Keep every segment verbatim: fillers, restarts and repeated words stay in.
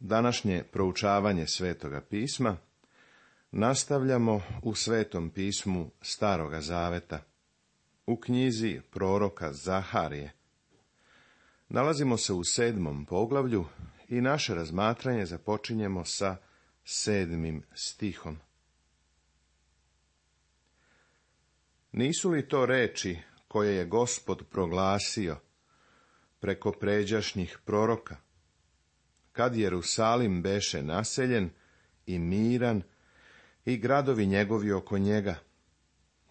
današnje proučavanje Svetoga pisma nastavljamo u Svetom pismu Staroga zaveta, u knjizi proroka Zaharije. Nalazimo se u sedmom poglavlju i naše razmatranje započinjemo sa sedmim stihom. Nisu li to reči koje je Gospod proglasio preko pređašnjih proroka, kad Jerusalim beše naseljen i miran i gradovi njegovi oko njega,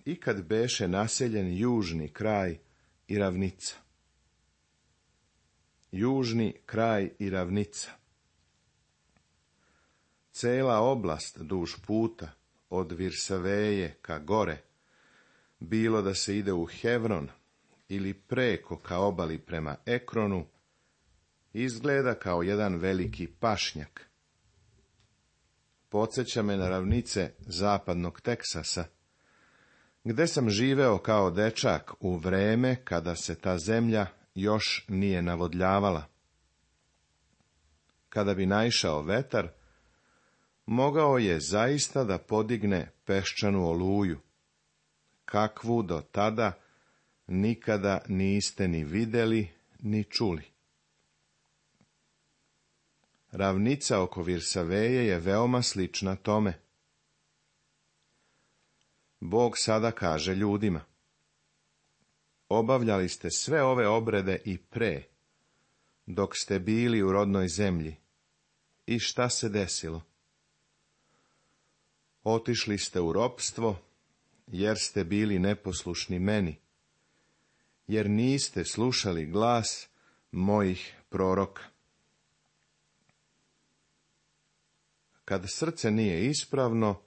i kad beše naseljen južni kraj i ravnica. Južni kraj i ravnica. Cela oblast duž puta, od Virsaveje ka gore, bilo da se ide u Hevron ili preko ka obali prema Ekronu, izgleda kao jedan veliki pašnjak. Podsjeća me na ravnice zapadnog Teksasa, gde sam živeo kao dečak u vreme kada se ta zemlja još nije navodljavala. Kada bi naišao vetar, mogao je zaista da podigne peščanu oluju, kakvu do tada nikada niste ni videli ni čuli. Ravnica oko Virsaveje je veoma slična tome. Bog sada kaže ljudima: obavljali ste sve ove obrede i pre, dok ste bili u rodnoj zemlji. I šta se desilo? Otišli ste u ropstvo, jer ste bili neposlušni meni, jer niste slušali glas mojih proroka. Kad srce nije ispravno,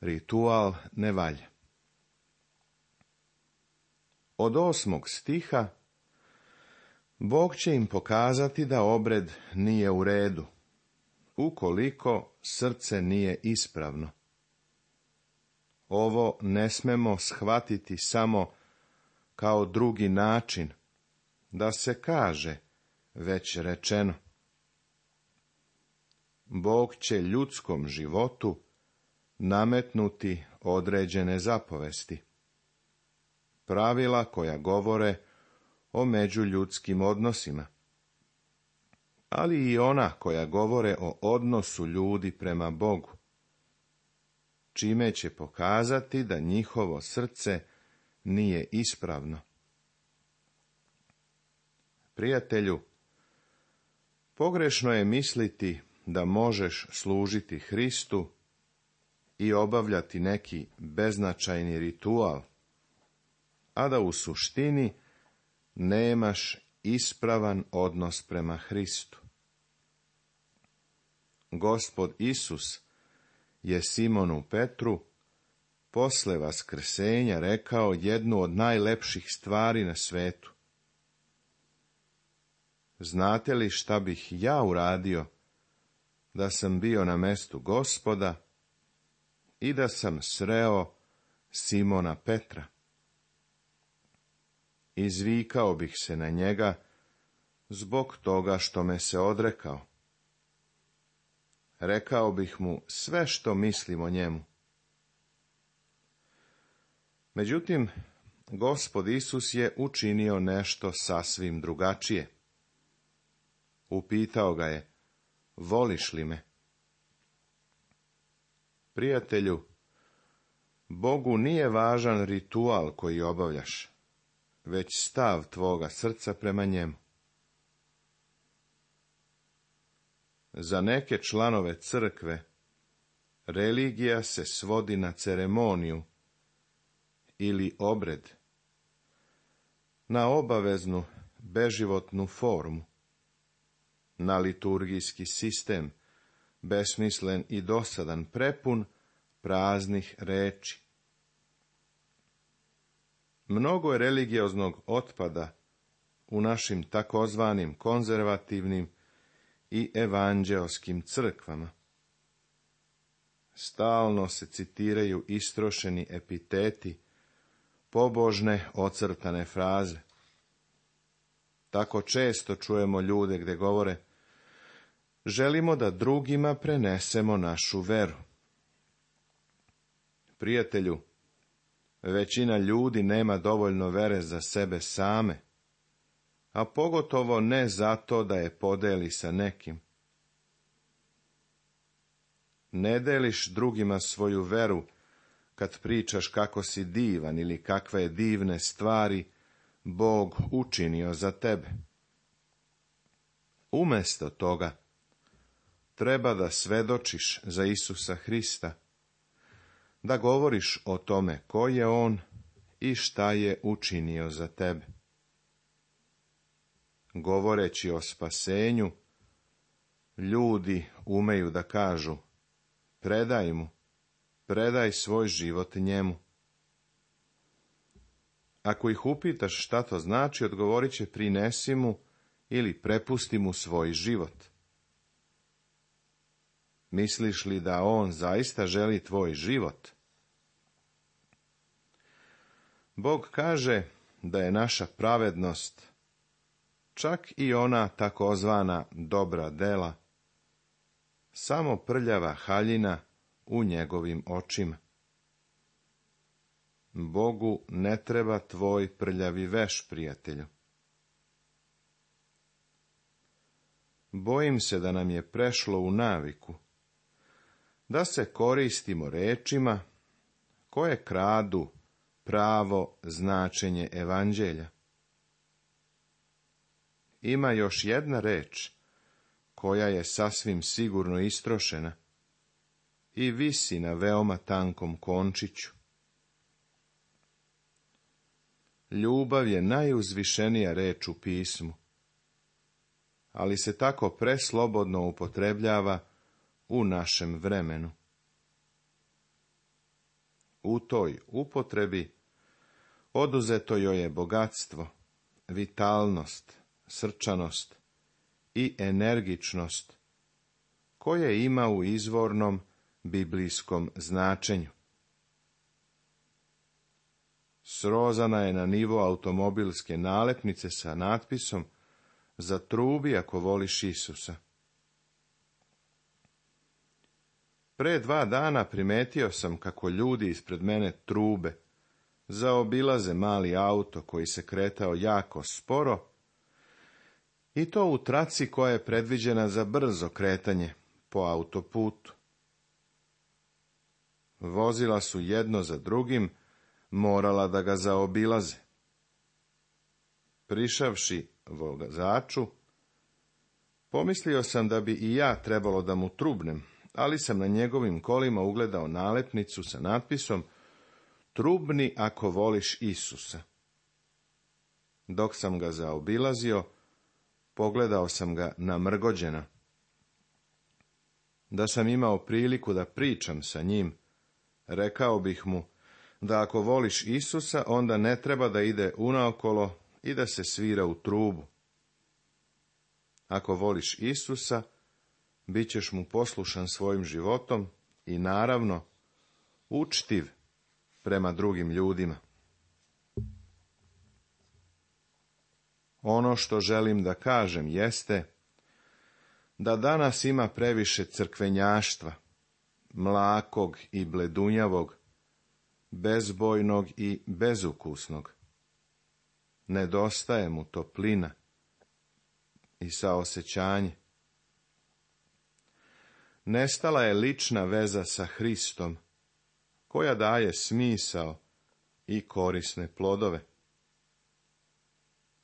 ritual ne valja. Od osmog stiha Bog će im pokazati da obred nije u redu, ukoliko srce nije ispravno. Ovo ne smemo shvatiti samo kao drugi način, da se kaže već rečeno. Bog će ljudskom životu nametnuti određene zapovesti, pravila koja govore o međuljudskim odnosima, ali i ona koja govore o odnosu ljudi prema Bogu, čime će pokazati da njihovo srce nije ispravno. Prijatelju, pogrešno je misliti da možeš služiti Hristu i obavljati neki beznačajni ritual, a da u suštini nemaš ispravan odnos prema Hristu. Gospod Isus je Simonu Petru posle vaskrsenja rekao jednu od najlepših stvari na svetu. Znate li šta bih ja uradio da sam bio na mestu Gospoda i da sam sreo Simona Petra? Izvikao bih se na njega zbog toga što me se odrekao. Rekao bih mu sve što mislim o njemu. Međutim, Gospod Isus je učinio nešto sasvim drugačije. Upitao ga je: voliš li me? Prijatelju, Bogu nije važan ritual koji obavljaš, već stav tvoga srca prema njemu. Za neke članove crkve religija se svodi na ceremoniju ili obred, na obaveznu beživotnu formu, na liturgijski sistem, besmislen i dosadan, prepun praznih reči. Mnogo je religioznog otpada u našim takozvanim konzervativnim i evanđeoskim crkvama. Stalno se citiraju istrošeni epiteti, pobožne ocrtane fraze. Tako često čujemo ljude gde govore: želimo da drugima prenesemo našu veru. Prijatelju, većina ljudi nema dovoljno vere za sebe same, a pogotovo ne zato da je podeli sa nekim. Ne deliš drugima svoju veru kad pričaš kako si divan ili kakve divne stvari Bog učinio za tebe. Umjesto toga, treba da svedočiš za Isusa Hrista, da govoriš o tome ko je On i šta je učinio za tebe. Govoreći o spasenju, ljudi umeju da kažu: predaj mu, predaj svoj život njemu. Ako ih upitaš šta to znači, odgovorit će: prinesi mu ili prepusti mu svoj život. Misliš li da on zaista želi tvoj život? Bog kaže da je naša pravednost, čak i ona takozvana dobra dela, samo prljava haljina u njegovim očima. Bogu ne treba tvoj prljavi veš, prijatelju. Bojim se da nam je prešlo u naviku da se koristimo rečima koje kradu pravo značenje evanđelja. Ima još jedna reč koja je sasvim sigurno istrošena i visi na veoma tankom končiću. Ljubav je najuzvišenija reč u pismu, ali se tako preslobodno upotrebljava u našem vremenu. U toj upotrebi oduzeto joj je bogatstvo, vitalnost, srčanost i energičnost koje ima u izvornom biblijskom značenju. Srozana je na nivo automobilske nalepnice sa natpisom: zatrubi ako voliš Isusa. Pre dva dana primetio sam kako ljudi ispred mene trube, zaobilaze mali auto koji se kretao jako sporo, i to u traci koja je predviđena za brzo kretanje po autoputu. Vozila su jedno za drugim morala da ga zaobilaze. Prišavši vozaču, pomislio sam da bi i ja trebalo da mu trubnem, ali sam na njegovim kolima ugledao nalepnicu sa natpisom: trubni ako voliš Isusa. Dok sam ga zaobilazio, pogledao sam ga namrgođena. Da sam imao priliku da pričam sa njim, rekao bih mu da ako voliš Isusa, onda ne treba da ide unaokolo i da se svira u trubu. Ako voliš Isusa, bit ćeš mu poslušan svojim životom i, naravno, učtiv prema drugim ljudima. Ono što želim da kažem jeste da danas ima previše crkvenjaštva, mlakog i bledunjavog, bezbojnog i bezukusnog. Nedostaje mu toplina i saosećanje. Nestala je lična veza sa Hristom, koja daje smisao i korisne plodove.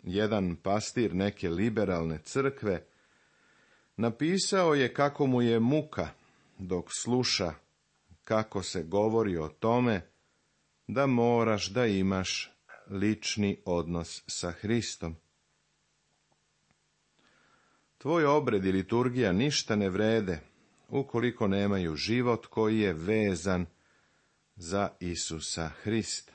Jedan pastir neke liberalne crkve napisao je kako mu je muka dok sluša kako se govori o tome da moraš da imaš lični odnos sa Hristom. Tvoj obred i liturgija ništa ne vrede ukoliko nemaju život koji je vezan za Isusa Hrista.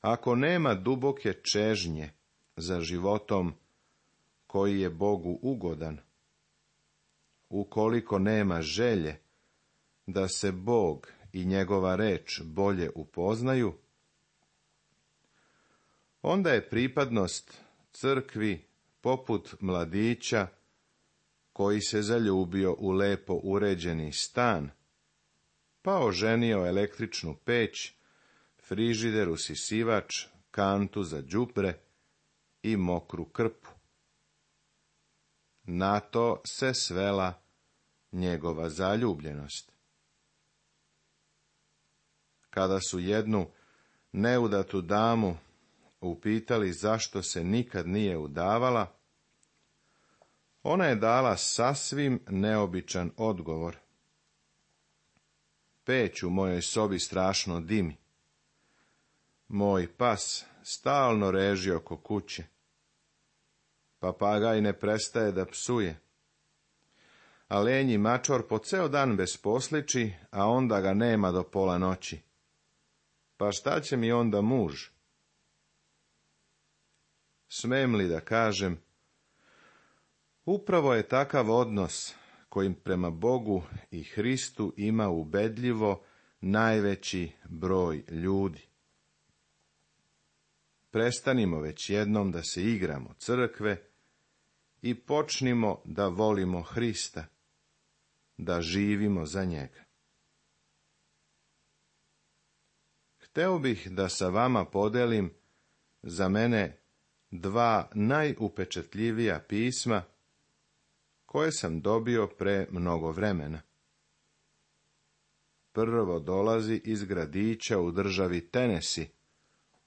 Ako nema duboke čežnje za životom koji je Bogu ugodan, ukoliko nema želje da se Bog i njegova reč bolje upoznaju, onda je pripadnost crkvi poput mladića koji se zaljubio u lepo uređeni stan, pa oženio električnu peć, frižider, usisivač, kantu za đubre i mokru krpu. Na to se svela njegova zaljubljenost. Kada su jednu neudatu damu upitali zašto se nikad nije udavala, ona je dala sasvim neobičan odgovor. Peć u mojoj sobi strašno dimi. Moj pas stalno reži oko kuće. Papagaj ne prestaje da psuje. A lenji mačor po ceo dan besposliči, a onda ga nema do pola noći. Pa šta će mi onda muž? Smem li da kažem, upravo je takav odnos kojim prema Bogu i Hristu ima ubedljivo najveći broj ljudi. Prestanimo već jednom da se igramo crkve i počnimo da volimo Hrista, da živimo za njega. Hteo bih da sa vama podelim za mene dva najupečatljivija pisma koje sam dobio pre mnogo vremena. Prvo dolazi iz gradića u državi Tennessee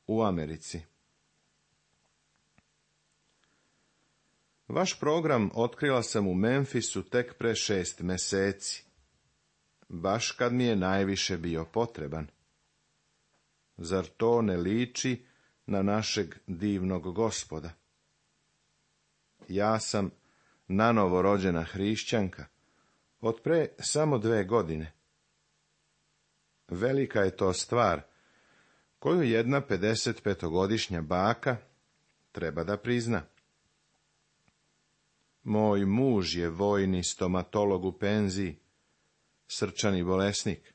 u Americi. Vaš program otkrila sam u Memphisu tek pre šest meseci, baš kad mi je najviše bio potreban. Zar to ne liči na našeg divnog Gospoda? Ja sam nanovo rođena hrišćanka, od pre samo dve godine. Velika je to stvar, koju jedna pedesetpetogodišnja baka treba da prizna. Moj muž je vojni stomatolog u penziji, srčani bolesnik.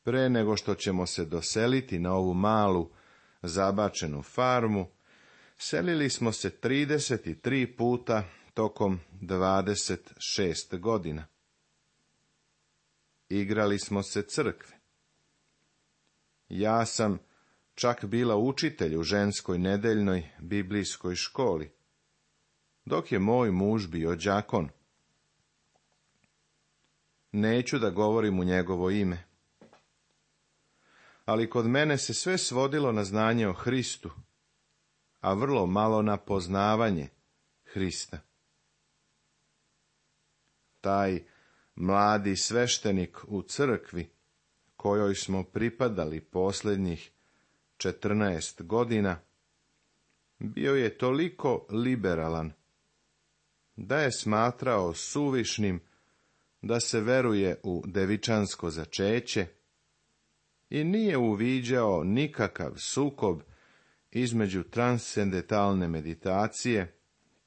Pre nego što ćemo se doseliti na ovu malu, zabačenu farmu, selili smo se trideset tri puta tokom dvadeset šest godina. Igrali smo se crkve. Ja sam čak bila učitelj u ženskoj nedeljnoj biblijskoj školi, dok je moj muž bio đakon. Neću da govorim u njegovo ime. Ali kod mene se sve svodilo na znanje o Hristu, a vrlo malo na poznavanje Hrista. Taj mladi sveštenik u crkvi, kojoj smo pripadali posljednjih četrnaest godina, bio je toliko liberalan, da je smatrao suvišnim da se veruje u devičansko začeće i nije uviđao nikakav sukob između transcendentalne meditacije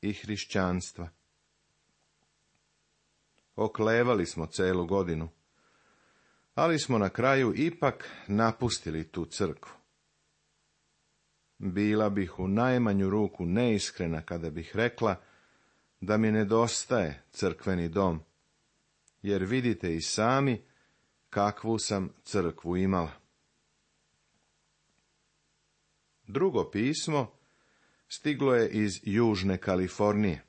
i hrišćanstva. Oklevali smo celu godinu, ali smo na kraju ipak napustili tu crkvu. Bila bih u najmanju ruku neiskrena kada bih rekla da mi nedostaje crkveni dom, jer vidite i sami kakvu sam crkvu imala. Drugo pismo stiglo je iz Južne Kalifornije.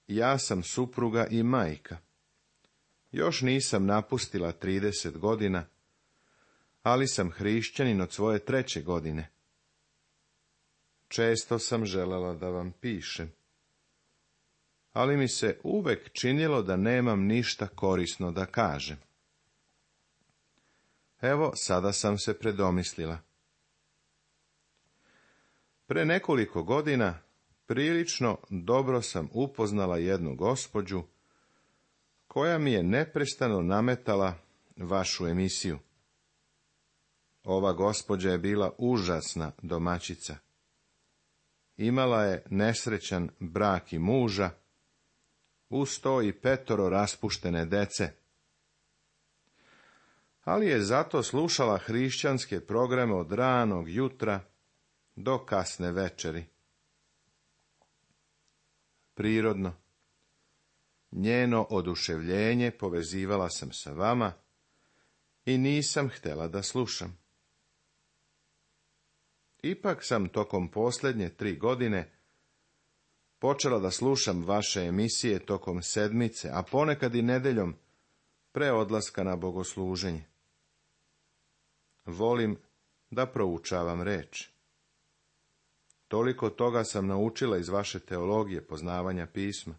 Ja sam supruga i majka. Još nisam napustila trideset godina, ali sam hrišćanin od svoje treće godine. Često sam želela da vam pišem, ali mi se uvek činilo da nemam ništa korisno da kažem. Evo, sada sam se predomislila. Pre nekoliko godina prilično dobro sam upoznala jednu gospođu koja mi je neprestano nametala vašu emisiju. Ova gospođa je bila užasna domaćica. Imala je nesrećan brak i muža, uz to i petoro raspuštene dece. Ali je zato slušala hrišćanske programe od ranog jutra do kasne večeri. Prirodno, njeno oduševljenje povezivala sam sa vama i nisam htjela da slušam. Ipak sam tokom posljednje tri godine počela da slušam vaše emisije tokom sedmice, a ponekad i nedeljom pre odlaska na bogosluženje. Volim da proučavam reč. Toliko toga sam naučila iz vaše teologije poznavanja pisma.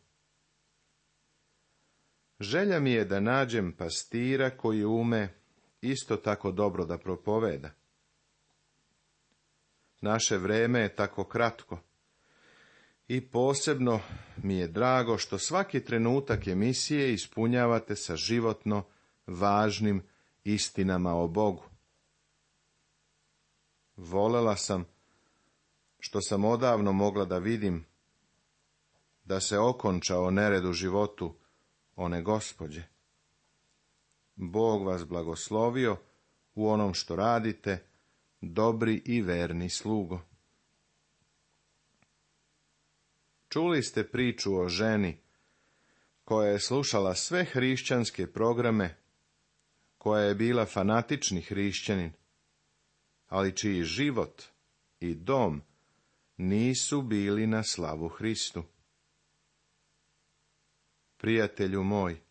Želja mi je da nađem pastira koji ume isto tako dobro da propoveda. Naše vreme je tako kratko i posebno mi je drago što svaki trenutak emisije ispunjavate sa životno važnim istinama o Bogu. Volela sam što sam odavno mogla da vidim da se okončao nered u životu one gospođe. Bog vas blagoslovio u onom što radite, dobri i verni slugo. Čuli ste priču o ženi koja je slušala sve hrišćanske programe, koja je bila fanatični hrišćanin, ali čiji život i dom nisu bili na slavu Hristu. Prijatelju moj,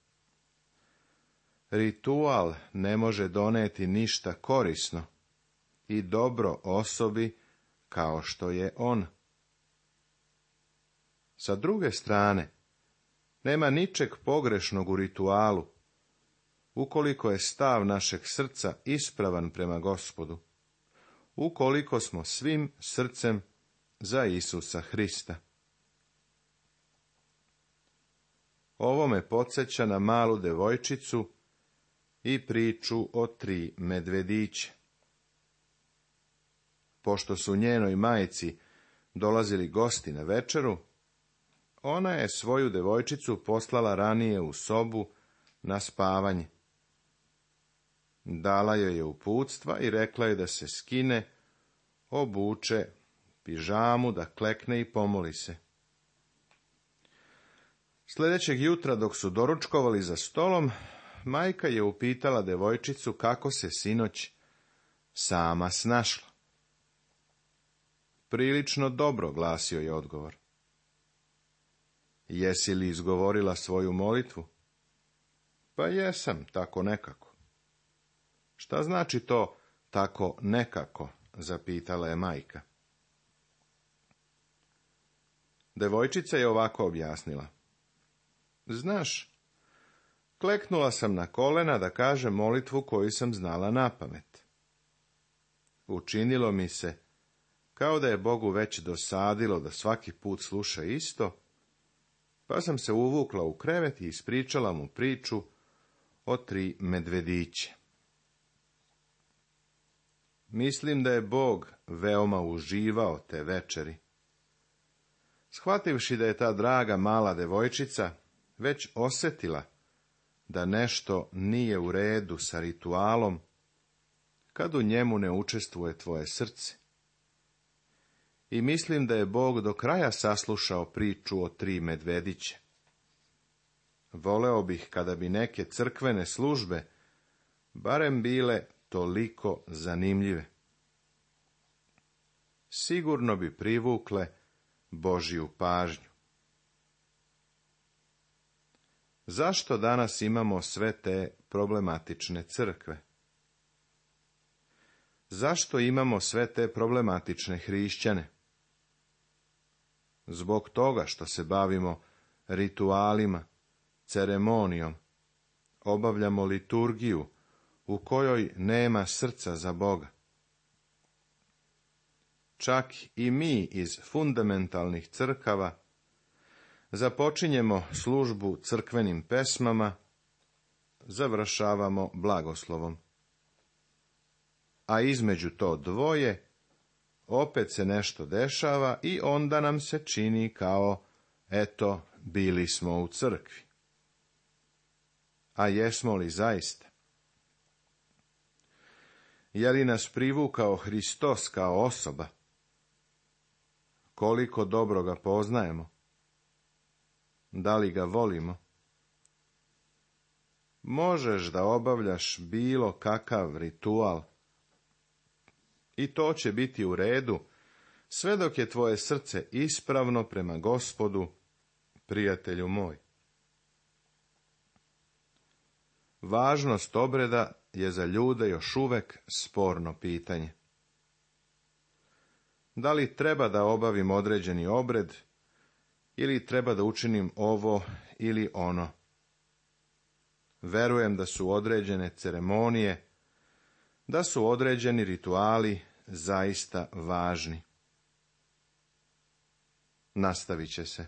ritual ne može doneti ništa korisno i dobro osobi kao što je on. Sa druge strane, nema ničeg pogrešnog u ritualu, ukoliko je stav našeg srca ispravan prema Gospodu, ukoliko smo svim srcem za Isusa Hrista. Ovo me podsjeća na malu devojčicu i priču o tri medvedića. Pošto su njenoj majci dolazili gosti na večeru, ona je svoju devojčicu poslala ranije u sobu na spavanje. Dala joj je uputstva i rekla je da se skine, obuče pižamu, da klekne i pomoli se. Sljedećeg jutra, dok su doručkovali za stolom, majka je upitala devojčicu kako se sinoć sama snašla. Prilično dobro, glasio je odgovor. Jesi li izgovorila svoju molitvu? Pa jesam, tako nekako. Šta znači to tako nekako, zapitala je majka. Devojčica je ovako objasnila. Znaš, kleknula sam na kolena da kažem molitvu koju sam znala napamet. Učinilo mi se kao da je Bogu već dosadilo da svaki put sluša isto, pa sam se uvukla u krevet i ispričala mu priču o tri medvedića. Mislim da je Bog veoma uživao te večeri. Shvativši da je ta draga mala devojčica već osjetila da nešto nije u redu sa ritualom, kad u njemu ne učestvuje tvoje srce. I mislim da je Bog do kraja saslušao priču o tri medvedića. Voleo bih kada bi neke crkvene službe barem bile toliko zanimljive. Sigurno bi privukle Božju pažnju. Zašto danas imamo sve te problematične crkve? Zašto imamo sve te problematične hrišćane? Zbog toga što se bavimo ritualima, ceremonijom, obavljamo liturgiju u kojoj nema srca za Boga. Čak i mi iz fundamentalnih crkava započinjemo službu crkvenim pesmama, završavamo blagoslovom. A između to dvoje opet se nešto dešava i onda nam se čini kao, eto, bili smo u crkvi. A jesmo li zaista? Je li nas privukao Hristos kao osoba? koliko dobro ga poznajemo? Da li ga volimo? Možeš da obavljaš bilo kakav ritual i to će biti u redu, sve dok je tvoje srce ispravno prema Gospodu, prijatelju moj. Važnost obreda je za ljude još uvek sporno pitanje. Da li treba da obavim određeni obred, ili treba da učinim ovo ili ono? Verujem da su određene ceremonije, da su određeni rituali zaista važni. Nastavit će se.